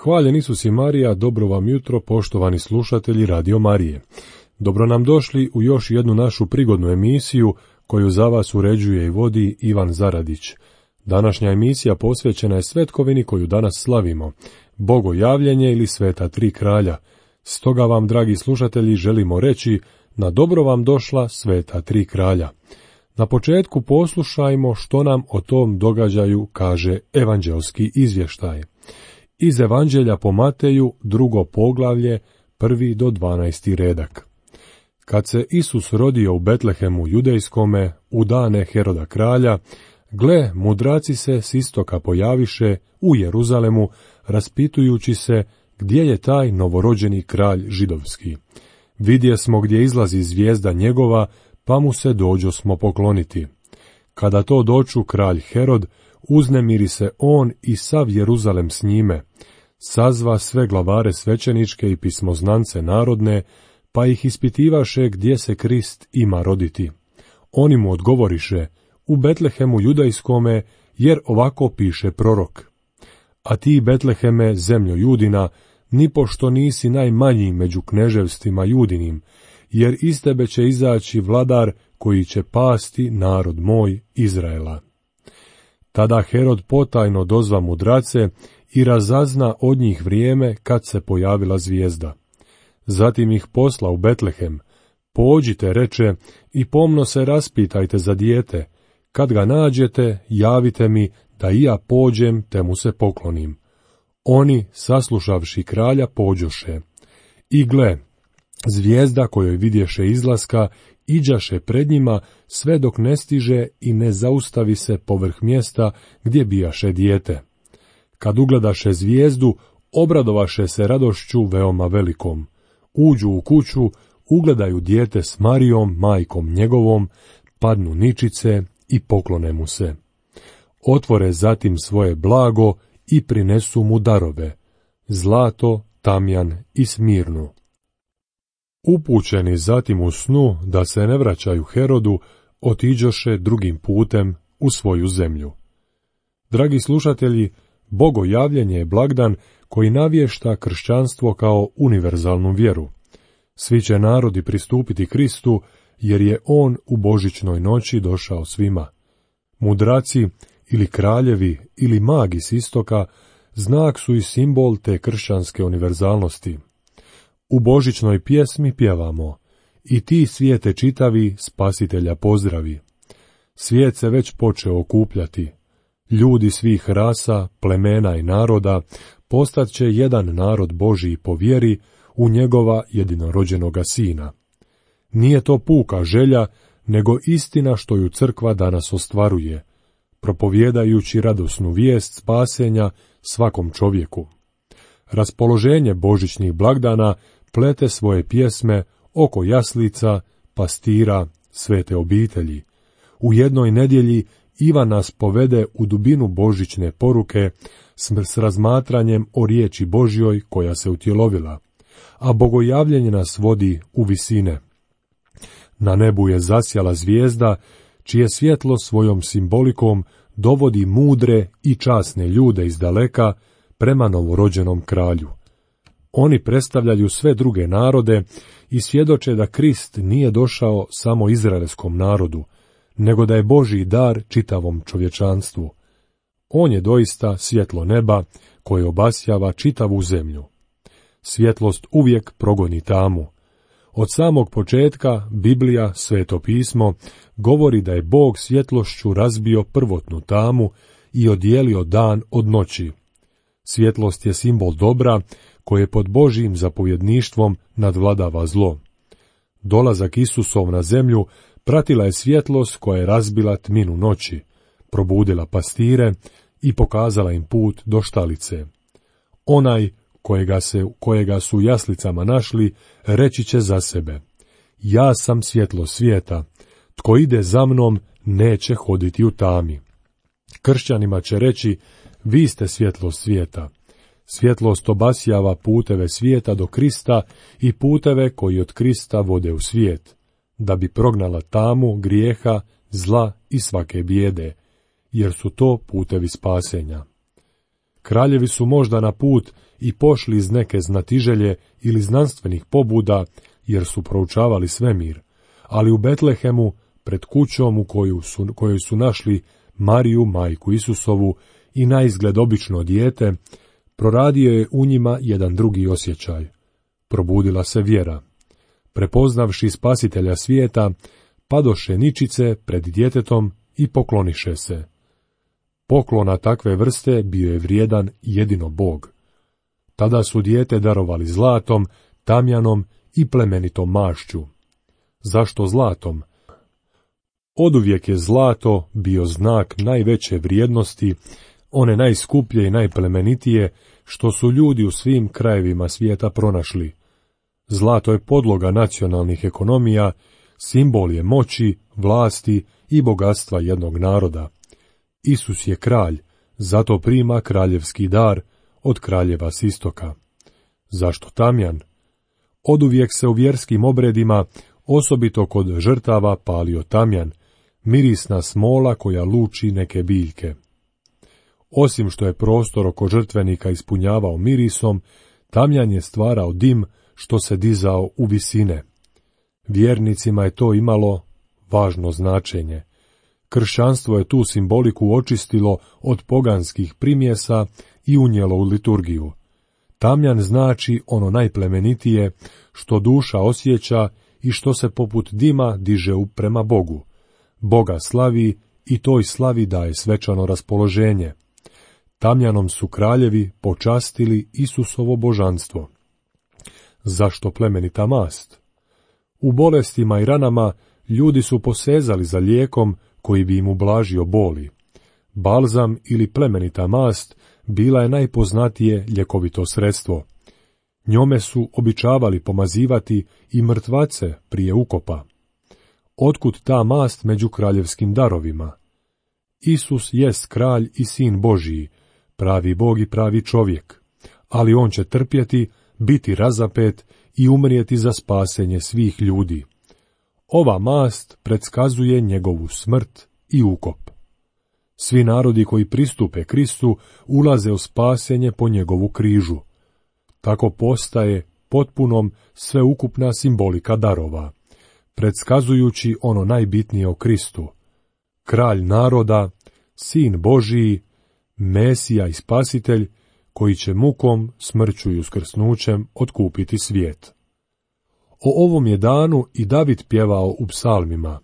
Hvaljen Isus i Marija, dobro vam jutro, poštovani slušatelji Radio Marije. Dobro nam došli u još jednu našu prigodnu emisiju koju za vas uređuje i vodi Ivan Zaradić. Današnja emisija posvećena je svetkovini koju danas slavimo, Bogojavljenje ili Sveta tri kralja. Stoga vam, dragi slušatelji, želimo reći, na dobro vam došla Sveta tri kralja. Na početku poslušajmo što nam o tom događaju kaže evanđelski izvještaj. Iz Evanđelja po Mateju, 2. poglavlje, 1. do 12. redak. Kad se Isus rodio u Betlehemu judejskome, u dane Heroda kralja, gle, mudraci se s istoka pojaviše u Jeruzalemu, raspitujući se gdje je taj novorođeni kralj židovski. Vidjesmo gdje izlazi zvijezda njegova, pa mu se dođosmo pokloniti. Kada to doču kralj Herod, uznemiri se on i sav Jeruzalem s njime, sazva sve glavare svećeničke i pismoznance narodne, pa ih ispitivaše gdje se Krist ima roditi. Oni mu odgovoriše, u Betlehemu judajskome, jer ovako piše prorok. A ti, Betleheme, zemljo Judina, nipošto nisi najmanji među kneževstvima Judinim, jer iz tebe će izaći vladar koji će pasti narod moj Izraela. Tada Herod potajno dozva mudrace i razazna od njih vrijeme kad se pojavila zvijezda. Zatim ih posla u Betlehem. Pođite, reče, i pomno se raspitajte za dijete. Kad ga nađete, javite mi, da i ja pođem te mu se poklonim. Oni, saslušavši kralja, pođoše. I gle, zvijezda kojoj vidješe izlaska, iđaše pred njima sve dok ne stiže i ne zaustavi se povrh mjesta gdje bijaše dijete. Kad ugledaše zvijezdu, obradovaše se radošću veoma velikom. Uđu u kuću, ugledaju dijete s Marijom, majkom njegovom, padnu ničice i poklone mu se. Otvore zatim svoje blago i prinesu mu darove, zlato, tamjan i smirnu. Upućeni zatim u snu da se ne vraćaju Herodu, otiđoše drugim putem u svoju zemlju. Dragi slušatelji, Bogojavljenje je blagdan koji navješta kršćanstvo kao univerzalnu vjeru. Svi će narodi pristupiti Kristu, jer je on u božićnoj noći došao svima. Mudraci ili kraljevi ili magi s istoka znak su i simbol te kršćanske univerzalnosti. U božićnoj pjesmi pjevamo: i ti svijete čitavi, spasitelja pozdravi. Svijet se već počeo okupljati. Ljudi svih rasa, plemena i naroda postat će jedan narod Božiji po vjeri u njegova jedinorođenoga sina. Nije to puka želja, nego istina što ju crkva danas ostvaruje, propovjedajući radosnu vijest spasenja svakom čovjeku. Raspoloženje božićnih blagdana plete svoje pjesme oko jaslica, pastira, svete obitelji. U jednoj nedjelji Ivan nas povede u dubinu božićne poruke s razmatranjem o riječi Božjoj koja se utjelovila, a Bogojavljenje nas vodi u visine. Na nebu je zasjala zvijezda, čije svjetlo svojom simbolikom dovodi mudre i časne ljude iz daleka prema novorođenom kralju. Oni predstavljaju sve druge narode i svjedoče da Krist nije došao samo izraelskom narodu, nego da je Božji dar čitavom čovječanstvu. On je doista svjetlo neba koje obasjava čitavu zemlju. Svjetlost uvijek progoni tamu. Od samog početka Biblija, Sveto pismo, govori da je Bog svjetlošću razbio prvotnu tamu i odijelio dan od noći. Svjetlost je simbol dobra koje pod Božjim zapovjedništvom nadvladava zlo. Dolazak Isusov na zemlju pratila je svjetlost koja je razbila tminu noći, probudila pastire i pokazala im put do štalice. Onaj kojega su u jaslicama našli, reći će za sebe: ja sam svjetlo svijeta, tko ide za mnom neće hoditi u tami. Kršćanima će reći: vi ste svjetlost svijeta. Svjetlost obasjava puteve svijeta do Krista i puteve koji od Krista vode u svijet, da bi prognala tamu, grijeha, zla i svake bijede, jer su to putevi spasenja. Kraljevi su možda na put i pošli iz neke znatiželje ili znanstvenih pobuda, jer su proučavali svemir, ali u Betlehemu, pred kućom u kojoj su našli Mariju, majku Isusovu, i naizgled obično dijete, proradio je u njima jedan drugi osjećaj. Probudila se vjera. Prepoznavši spasitelja svijeta, padoše ničice pred djetetom i pokloniše se. Poklona takve vrste bio je vrijedan jedino Bog. Tada su dijete darovali zlatom, tamjanom i plemenitom mašću. Zašto zlatom? Oduvijek je zlato bio znak najveće vrijednosti, one najskuplje i najplemenitije, što su ljudi u svim krajevima svijeta pronašli. Zlato je podloga nacionalnih ekonomija, simbol je moći, vlasti i bogatstva jednog naroda. Isus je kralj, zato prima kraljevski dar od kraljeva s istoka. Zašto tamjan? Oduvijek se u vjerskim obredima, osobito kod žrtava, palio tamjan, mirisna smola koja luči neke biljke. Osim što je prostor oko žrtvenika ispunjavao mirisom, tamjan je stvarao dim što se dizao u visine. Vjernicima je to imalo važno značenje. Kršćanstvo je tu simboliku očistilo od poganskih primjesa i unijelo u liturgiju. Tamjan znači ono najplemenitije, što duša osjeća i što se poput dima diže prema Bogu. Boga slavi i toj slavi daje svečano raspoloženje. Tamjanom su kraljevi počastili Isusovo božanstvo. Zašto plemenita mast? U bolestima i ranama ljudi su posezali za lijekom koji bi im ublažio boli. Balzam ili plemenita mast bila je najpoznatije ljekovito sredstvo. Njome su običavali pomazivati i mrtvace prije ukopa. Otkud ta mast među kraljevskim darovima? Isus jest kralj i sin Božiji, pravi Bog i pravi čovjek, ali on će trpjeti, biti razapet i umrijeti za spasenje svih ljudi. Ova mast predskazuje njegovu smrt i ukop. Svi narodi koji pristupe Kristu ulaze u spasenje po njegovu križu. Tako postaje potpunom sveukupna simbolika darova, predskazujući ono najbitnije o Kristu. Kralj naroda, sin Božiji, Mesija i Spasitelj, koji će mukom, smrću i uskrsnućem otkupiti svijet. O ovom je danu i David pjevao u psalmima.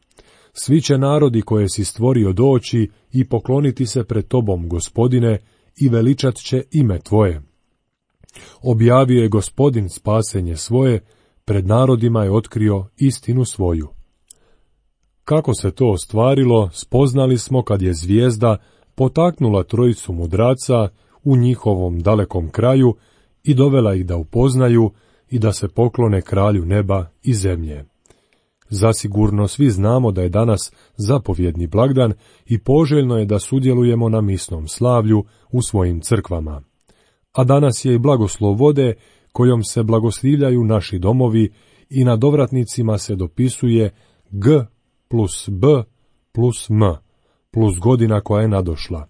Svi će narodi koje si stvorio doći i pokloniti se pred tobom, Gospodine, i veličat će ime tvoje. Objavio je Gospodin spasenje svoje, pred narodima je otkrio istinu svoju. Kako se to ostvarilo, spoznali smo kad je zvijezda potaknula trojicu mudraca u njihovom dalekom kraju i dovela ih da upoznaju i da se poklone kralju neba i zemlje. Zasigurno svi znamo da je danas zapovjedni blagdan i poželjno je da sudjelujemo na misnom slavlju u svojim crkvama. A danas je i blagoslov vode kojom se blagoslivljaju naši domovi i na dovratnicima se dopisuje G plus B plus M plus godina koja je nadošla,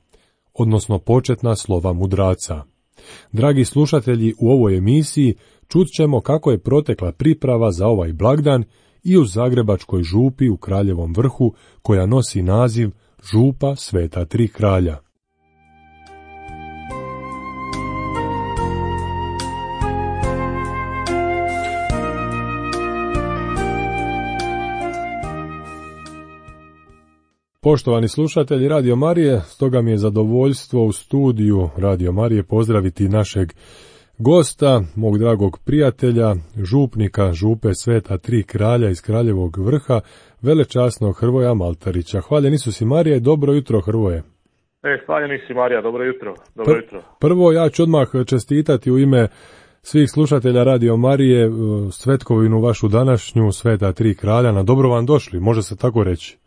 odnosno početna slova mudraca. Dragi slušatelji, u ovoj emisiji čut ćemo kako je protekla priprava za ovaj blagdan i u Zagrebačkoj župi u Kraljevom Vrhu, koja nosi naziv Župa Sveta Tri kralja. Poštovani slušatelji Radio Marije, stoga mi je zadovoljstvo u studiju Radio Marije pozdraviti našeg gosta, mog dragog prijatelja, župnika Župe Sveta Tri kralja iz Kraljevog Vrha, velečasnog Hrvoja Maltarića. Hvaljen Isus i Marija i dobro jutro, Hrvoje. Hvaljen Isus i Marija, dobro jutro. Dobro jutro. Prvo, ja ću odmah čestitati u ime svih slušatelja Radio Marije svetkovinu vašu današnju, Sveta Tri kralja. Na dobro vam došli, može se tako reći.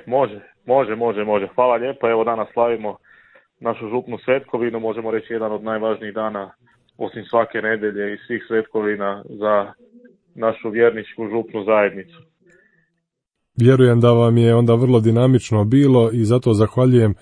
Može. Hvala lijepo. Evo danas slavimo našu župnu svetkovinu, možemo reći jedan od najvažnijih dana osim svake nedelje i svih svetkovina za našu vjerničku župnu zajednicu. Vjerujem da vam je onda vrlo dinamično bilo i zato zahvaljujem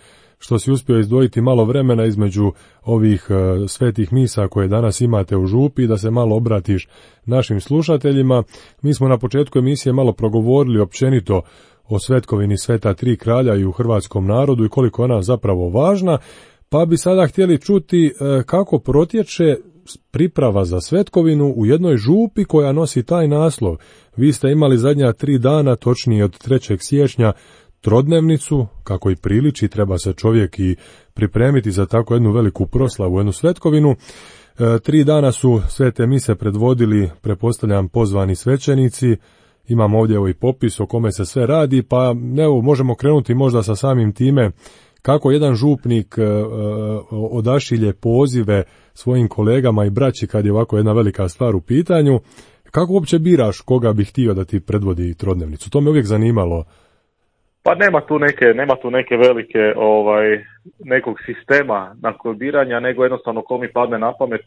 što si uspio izdvojiti malo vremena između ovih svetih misa koje danas imate u župi, da se malo obratiš našim slušateljima. Mi smo na početku emisije malo progovorili općenito o svetkovini Sveta tri kralja i u hrvatskom narodu i koliko je ona zapravo važna, pa bi sada htjeli čuti kako protječe priprava za svetkovinu u jednoj župi koja nosi taj naslov. Vi ste imali zadnja 3 dana, točnije od 3. siječnja, trodnevnicu, kako i priliči, treba se čovjek i pripremiti za tako jednu veliku proslavu, jednu svetkovinu. 3 dana su svete mise predvodili, pretpostavljam, pozvani svećenici. Imam ovdje ovaj popis o kome se sve radi, pa evo, možemo krenuti možda sa samim time kako jedan župnik odašilje pozive svojim kolegama i braći kad je ovako jedna velika stvar u pitanju. Kako uopće biraš koga bi htio da ti predvodi trodnevnicu? To me uvijek zanimalo. Pa nema tu neke velike nekog sistema nakon biranja, nego jednostavno ko mi padne na pamet,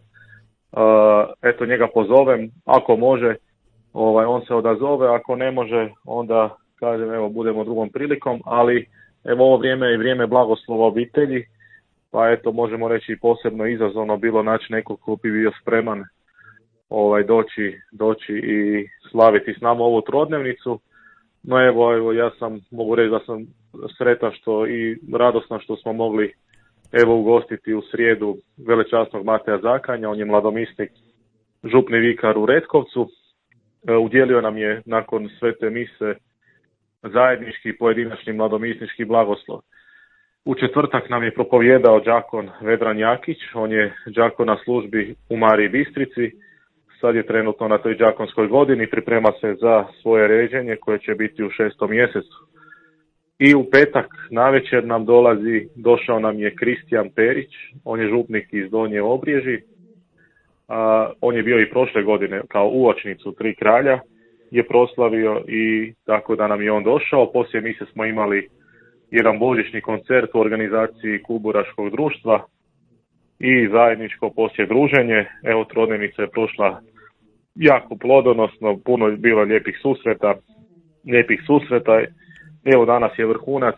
eto njega pozovem, ako može, on se odazove, ako ne može, onda kažem evo budemo drugom prilikom, ali evo ovo vrijeme je vrijeme blagoslova obitelji, pa eto možemo reći posebno izazovno bilo naći nekog ko bi bio spreman doći i slaviti s nama ovu trodnevnicu. No evo ja mogu reći da sam sretan i radostan što smo mogli ugostiti u srijedu velečasnog Mateja Zakanja, on je mladomisnik, župni vikar u Retkovcu. Udjelio nam je nakon svete mise zajednički pojedinačni mladomisnički blagoslov. U četvrtak nam je propovijedao đakon Vedran Jakić, on je đakon na službi u Mariji Bistrici, sad je trenutno na toj đakonskoj godini, priprema se za svoje ređenje koje će biti u 6. mjesecu. I u petak navečer došao nam je Kristijan Perić, on je župnik iz Donje Obriježi, on je bio i prošle godine kao uočnicu Tri kralja, je proslavio i tako da nam je on došao. Poslije mise smo imali jedan božićni koncert u organizaciji Kuburaškog društva i zajedničko poslije druženje. Evo, trodnevnica je prošla jako plodonosno, puno je bilo lijepih susreta. Evo, danas je vrhunac,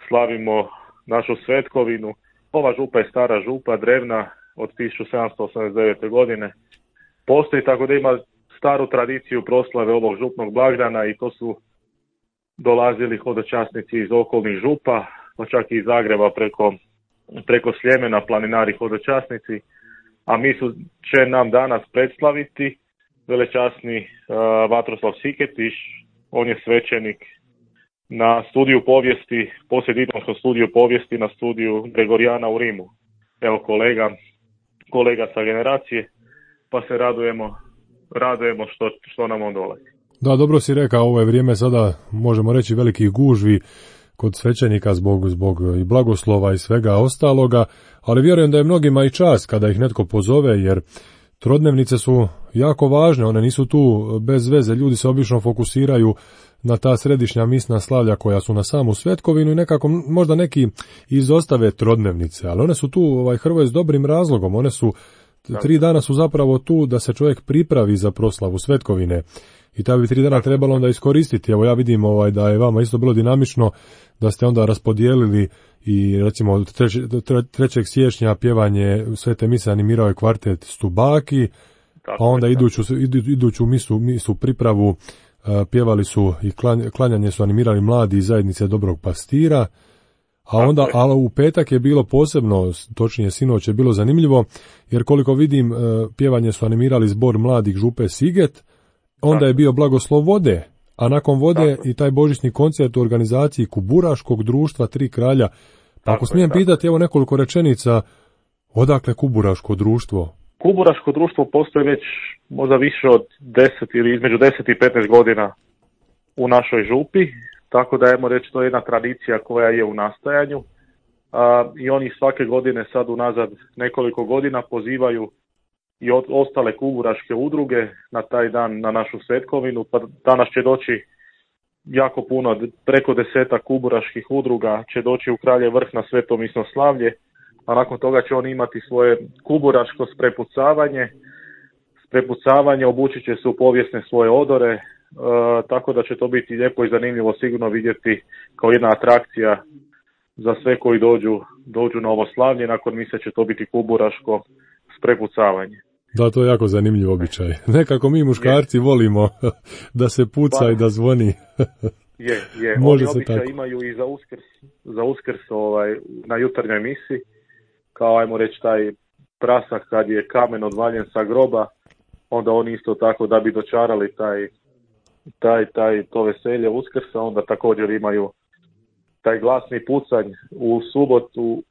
slavimo našu svetkovinu. Ova župa je stara župa, drevna, od 1789. godine. Postoji, tako da ima staru tradiciju proslave ovog župnog blagdana i to su dolazili hodočasnici iz okolnih župa, pa čak i iz Zagreba preko Sljemena, planinari hodočasnici, a će nam danas predstaviti velečasni Vatroslav Siketiš, on je svećenik na studiju povijesti, poslijediplomskom studiju povijesti na studiju Gregorijana u Rimu. Evo kolega sa generacije, pa se radujemo što nam on dolazi. Da, dobro si rekao, ovo je vrijeme sada, možemo reći, velikih gužvi kod svećenika zbog i blagoslova i svega ostaloga, ali vjerujem da je mnogima i čast kada ih netko pozove, jer trodnevnice su jako važne, one nisu tu bez veze, ljudi se obično fokusiraju na ta središnja misna slavlja koja su na samu svetkovinu i nekako možda neki izostave trodnevnice, ali one su tu, Hrvoje, s dobrim razlogom, one su 3 dana su zapravo tu da se čovjek pripravi za proslavu svetkovine i ta bi 3 dana trebalo onda iskoristiti. Evo ja vidim da je vama isto bilo dinamično, da ste onda raspodijelili i recimo od 3. siječnja pjevanje svete mise animirao je kvartet Stubaki, a onda iduću misu pripravu pjevali su i klanjanje su animirali mladi iz zajednice Dobrog pastira. Ali u petak je bilo posebno, točnije sinoć je bilo zanimljivo, jer koliko vidim pjevanje su animirali zbor mladih župe Siget, onda je bio blagoslov vode, a nakon vode i taj božićni koncert u organizaciji Kuburaškog društva Tri kralja. Pa ako smijem pitati, evo nekoliko rečenica, odakle Kuburaško društvo? Kuburaško društvo postoji već možda više od 10 ili između 10 i 15 godina u našoj župi. Tako da ajmo reći, to je jedna tradicija koja je u nastajanju i oni svake godine sad unazad nekoliko godina pozivaju i ostale kuburaške udruge na taj dan na našu svetkovinu. Pa danas će doći jako puno, preko 10 kuburaških udruga će doći u Kraljev Vrh na sveto misno slavlje, a nakon toga će oni imati svoje kuburaško sprepucavanje, obučit će se u povijesne svoje odore, tako da će to biti lijepo i zanimljivo sigurno vidjeti kao jedna atrakcija za sve koji dođu na ovo slavlje. Nakon mise će to biti kuburaško sprepucavanje. Da, to je jako zanimljiv običaj. Nekako mi muškarci volimo da se puca i da zvoni. Je. Može Oni se običaj tako. imaju i za uskrs na jutarnjoj misi, kao ajmo reći taj prasak kad je kamen odvaljen sa groba, onda oni isto tako da bi dočarali to veselje Uskrsa, onda također imaju taj glasni pucanj u subotu,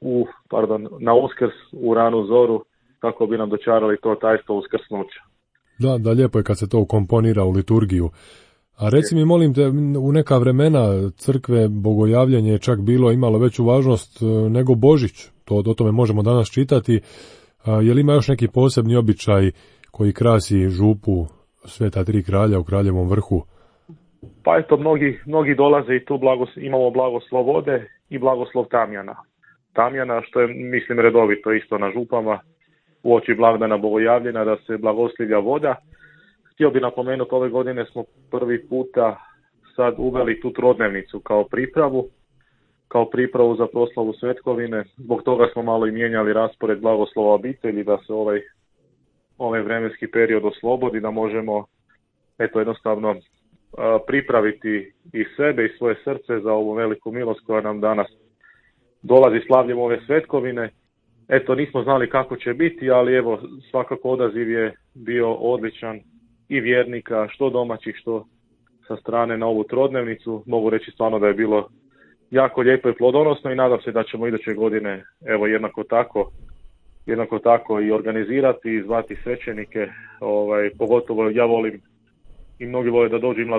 na Uskrs u ranu zoru, kako bi nam dočarali to tajstvo uskrsnuća. Da, lijepo je kad se to ukomponira u liturgiju. A reci mi, molim te, u neka vremena crkve bogojavljenje je čak imalo veću važnost nego Božić. O tome možemo danas čitati. Je li ima još neki posebni običaj koji krasi župu Sveta Tri kralja u Kraljevom vrhu? Pa eto, mnogi dolaze i tu imamo blagoslov vode i blagoslov tamjana. Tamjana, što je, mislim, redovito isto na župama, uoči blagdana bogojavljenja, da se blagoslivlja voda. Htio bi napomenuti, ove godine smo prvi puta sad uveli tu trodnevnicu kao pripravu za proslavu svetkovine. Zbog toga smo malo i mijenjali raspored blagoslova obitelji, da se ovaj vremenski period oslobodi, da možemo jednostavno pripraviti i sebe i svoje srce za ovu veliku milost koja nam danas dolazi slavljem ove svetkovine. Nismo znali kako će biti, ali evo, svakako odaziv je bio odličan i vjernika, što domaćih, što sa strane na ovu trodnevnicu. Mogu reći stvarno da je bilo jako lijepo i plodonosno i nadam se da ćemo iduće godine jednako tako i organizirati i zvati svećenike. Pogotovo ja volim i mnogi vole da dođu i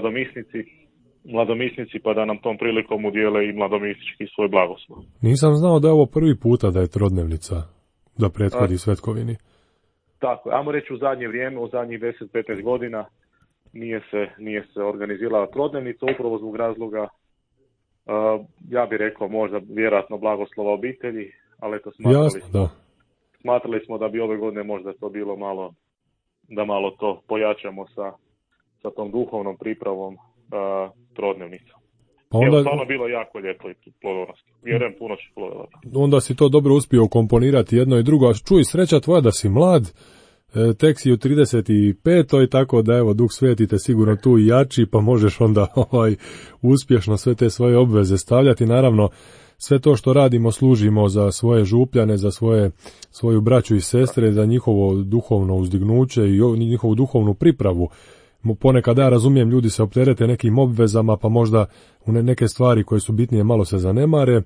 mladomisnici pa da nam tom prilikom udijele i mladomisnički svoj blagoslov. Nisam znao da je ovo prvi puta da je trodnevnica, da prethodi svetkovini. Tako, ajmo reći u zadnje vrijeme, u zadnjih 10-15 godina nije se organizirala trodnevnica upravo zbog razloga, ja bih rekao možda vjerojatno blagoslova obitelji, ali eto smatrali smo da bi ove godine možda to bilo malo to pojačamo sa tom duhovnom pripravom trodnevnicom. Pa onda, stvarno bilo jako lijepo i plodonosno. Vjerujem, puno će plodovati. Onda si to dobro uspio komponirati jedno i drugo. A čuj, sreća tvoja da si mlad, tek si u 35. tako da evo Duh Sveti te sigurno tu i jači, pa možeš onda uspješno sve te svoje obveze stavljati. Naravno, sve to što radimo služimo za svoje župljane, za svoju braću i sestre, za njihovo duhovno uzdignuće i njihovu duhovnu pripravu. Ponekad ja razumijem, ljudi se opterete nekim obvezama, pa možda u neke stvari koje su bitnije malo se zanemare,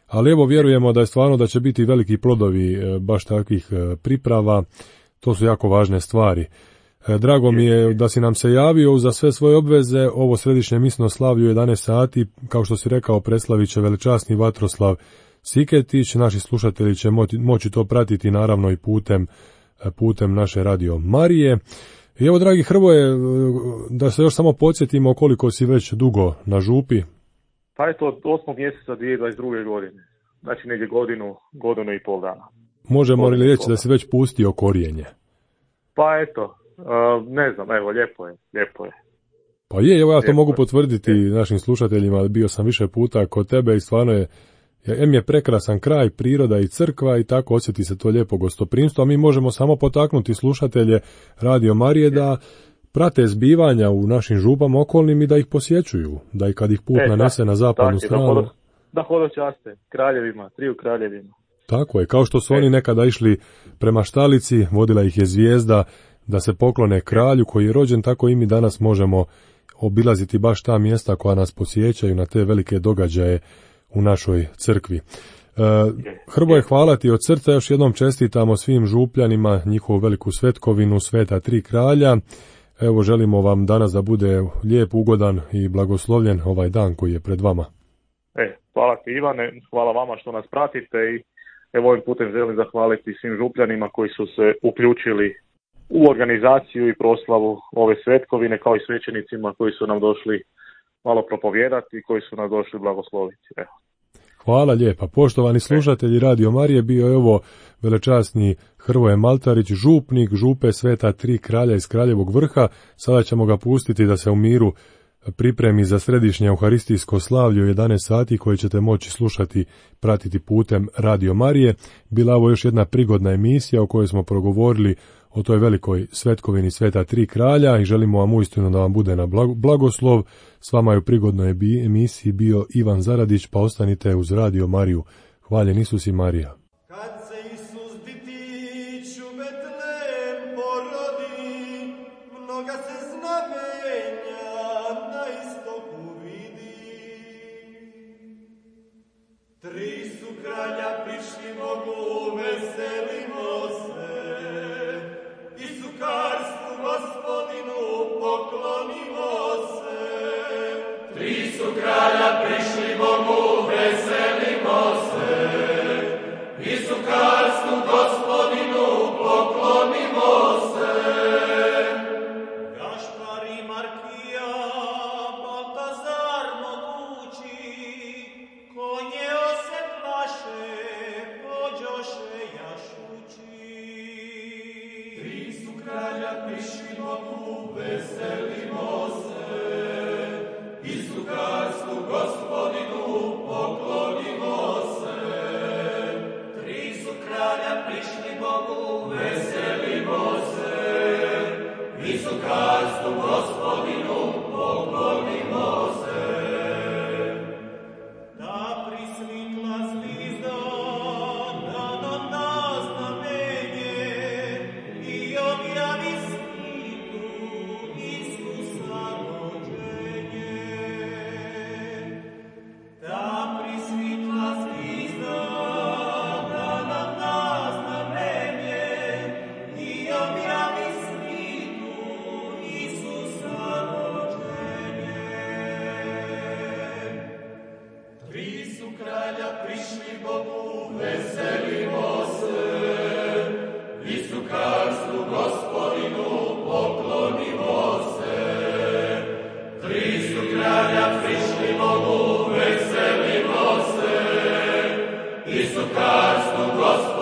ali evo vjerujemo da je stvarno da će biti veliki plodovi baš takvih priprava. To su jako važne stvari. Drago mi je da si nam se javio za sve svoje obveze. Ovo središnje misno slavlje u 11 sati, kao što si rekao, preslavit će velečasni Vatroslav Siketić. Naši slušatelji će moći to pratiti naravno i putem naše radio Marije. I evo, dragi Hrvoje, da se još samo podsjetimo koliko si već dugo na župi. Pa je to od 8. mjeseca 2022. godine. Znači negdje godinu i pol dana. Možemo li reći da si već pustio korijenje? Pa eto, ne znam, evo, lijepo je. Pa evo ja to mogu potvrditi našim slušateljima, bio sam više puta kod tebe i stvarno je prekrasan kraj, priroda i crkva i tako osjeti se to lijepo gostoprimstvo, a mi možemo samo potaknuti slušatelje Radio Marije da prate zbivanja u našim župama okolnim i da ih posjećuju, da i kad ih put nanese na zapadnu stranu. Da hodočaste triju kraljevima. Tako je, kao što su oni nekada išli prema štalici, vodila ih je zvijezda da se poklone kralju koji je rođen, tako i mi danas možemo obilaziti baš ta mjesta koja nas posjećaju na te velike događaje u našoj crkvi. Hrvoje, hvala ti od srca, još jednom čestitamo svim župljanima njihovu veliku svetkovinu Sveta Tri kralja. Evo, želimo vam danas da bude lijep, ugodan i blagoslovljen ovaj dan koji je pred vama. Hvala ti, Ivane, hvala vama što nas pratite i evo ovim putem želim zahvaliti svim župljanima koji su se uključili u organizaciju i proslavu ove svetkovine, kao i svećenicima koji su nam došli malo propovijedati i koji su nam došli blagosloviti. Hvala lijepa. Poštovani slušatelji Radio Marije, bio je ovo velečasni Hrvoje Maltarić, župnik župe Sveta Tri kralja iz Kraljevog vrha. Sada ćemo ga pustiti da se u miru pripremi za središnje euharistijsko slavlje u 11 sati koje ćete moći slušati, pratiti putem Radio Marije. Bila ovo još jedna prigodna emisija u kojoj smo progovorili o toj velikoj svetkovini Sveta Tri kralja i želimo vam uistinu da vam bude na blagoslov. S vama je u prigodnoj emisiji bio Ivan Zaradić, pa ostanite uz Radio Mariju. Hvaljen Isus i Marija. Isu Karstu, Gospod.